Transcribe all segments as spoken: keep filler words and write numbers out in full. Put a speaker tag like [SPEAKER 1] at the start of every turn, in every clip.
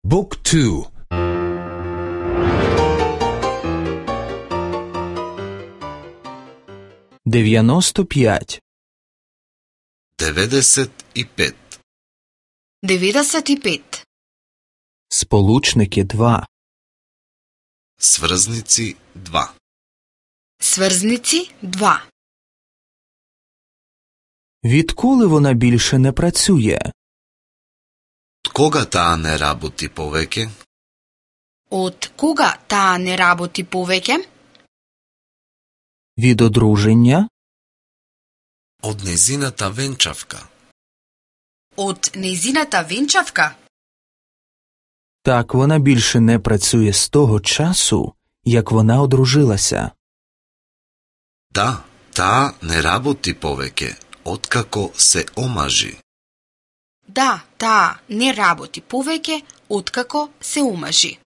[SPEAKER 1] Book two. дев'яносто п'ять.
[SPEAKER 2] деведесет и пет.
[SPEAKER 3] деведесет и пет.
[SPEAKER 1] Сполучники два.
[SPEAKER 2] Сврзници два.
[SPEAKER 3] Сврзници два.
[SPEAKER 1] Відколи вона більше не працює?
[SPEAKER 2] Од кога таа не работи повеќе?
[SPEAKER 3] Од кога таа не работи повеќе?
[SPEAKER 1] Від одруження?
[SPEAKER 2] Од незината венчавка.
[SPEAKER 3] Од незината венчавка?
[SPEAKER 1] Так, вона більше не працює з того часу, як вона одружилася.
[SPEAKER 2] Да, таа не работи повеќе, откако се омажи.
[SPEAKER 3] Да, таа не работи повеќе откако се омажи.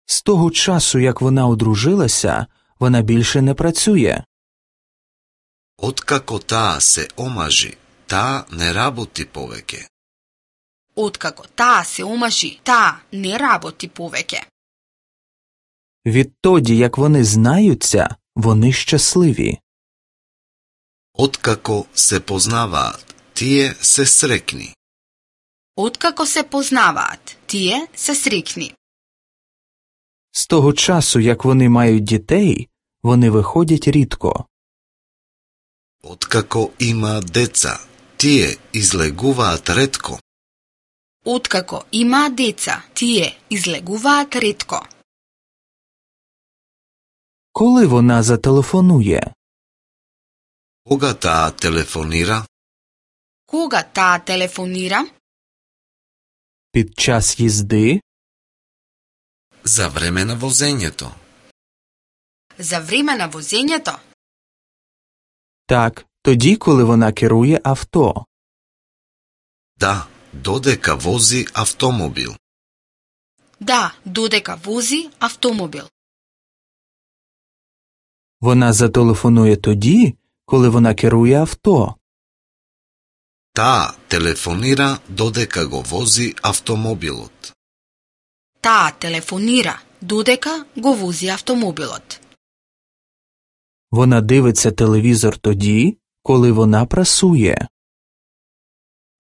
[SPEAKER 1] З того часу, як вона одружилася, вона більше не працює.
[SPEAKER 2] Откако таа се омажи, таа не работи повеќе.
[SPEAKER 3] Откако таа се омажи, таа не работи повеќе.
[SPEAKER 1] Відтоді, як вони знаються, вони щасливі.
[SPEAKER 2] Откако се познаваат, тие се срекни.
[SPEAKER 3] Откако се познаваат, тие се срекни.
[SPEAKER 1] З того часу, як вони мають дітей, вони виходять рідко.
[SPEAKER 2] Откако има деца, тие излегуваат ретко.
[SPEAKER 3] Откако има деца, тие излегуваат ретко.
[SPEAKER 1] Коли вона зателефонує?
[SPEAKER 2] Кога таа телефонира?
[SPEAKER 3] Кога таа телефонира?
[SPEAKER 1] Під час їзди?
[SPEAKER 2] За време на возењето.
[SPEAKER 3] За време на возењето?
[SPEAKER 1] Так, тоді, коли вона керує авто.
[SPEAKER 2] Да, додека вози автомобил.
[SPEAKER 3] Да, додека вози автомобил.
[SPEAKER 1] Вона зателефонує тоді, коли вона керує авто.
[SPEAKER 2] Таа телефонира додека го вози автомобилот.
[SPEAKER 3] Таа телефонира додека го вози автомобилот.
[SPEAKER 1] Вона дивиться телевізор тоді, коли вона прасує.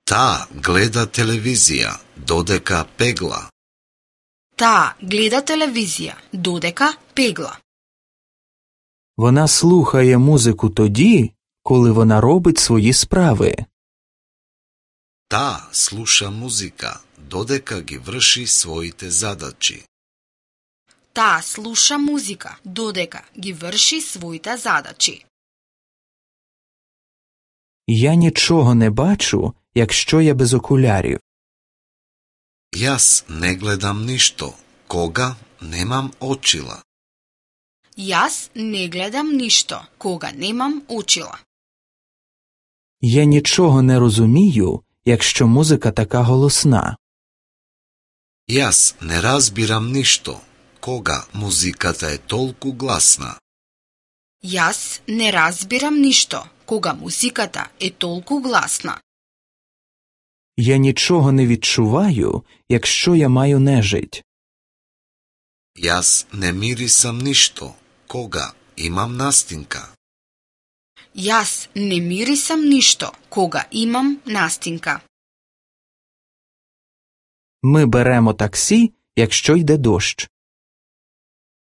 [SPEAKER 2] Таа гледа телевизија додека пегла.
[SPEAKER 3] Таа гледа телевизија додека пегла.
[SPEAKER 1] Вона слухає музику тоді, коли вона робить свої справи.
[SPEAKER 2] Таа слуша музика додека ги врши своите задачи.
[SPEAKER 3] Таа слуша музика додека ги врши своите задачи.
[SPEAKER 1] Я нічого не бачу, якщо я без окулярів.
[SPEAKER 2] Јас не гледам ништо кога немам очила.
[SPEAKER 3] Јас не гледам ништо кога немам очила.
[SPEAKER 1] Я нічого не розумію, якщо музика така голосна.
[SPEAKER 2] Јас не разбирам ништо кога музиката е толку гласна.
[SPEAKER 3] Јас не разбирам ништо кога музиката е толку гласна.
[SPEAKER 1] Я нічого не відчуваю, якщо я маю нежить.
[SPEAKER 2] Јас не мирисам ништо кога имам настинка.
[SPEAKER 3] Јас не мирисам ништо кога имам настинка.
[SPEAKER 1] Ми беремо таксі, якщо йде дощ.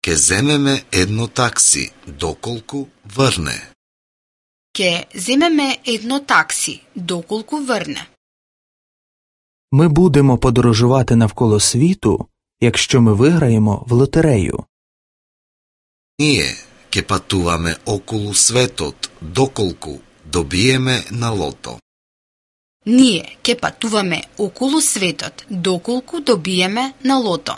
[SPEAKER 2] Ке земеме едно такси доколку врне.
[SPEAKER 3] Ке земеме едно такси доколку врне.
[SPEAKER 1] Ми будемо подорожувати навколо світу, якщо ми виграємо в лотерею.
[SPEAKER 2] Ние ке патуваме околу светот доколку добиеме на лото.
[SPEAKER 3] Ние ке патуваме околу светот доколку добиеме на лото.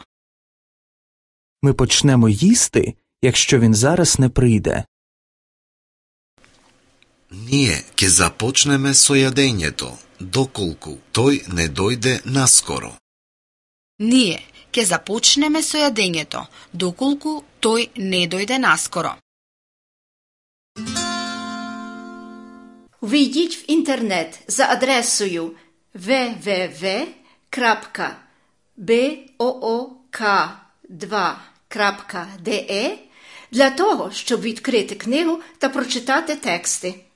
[SPEAKER 1] Ми почнемо їсти, якщо він зараз не прийде.
[SPEAKER 2] Ние ке започнеме со јадењето доколку тој не дојде наскоро.
[SPEAKER 3] Ние ке започнеме со јадењето доколку тој не дојде наскоро.
[SPEAKER 4] Вийдіть в інтернет за адресою double-u double-u double-u крапка book два крапка de для того, щоб відкрити книгу та прочитати тексти.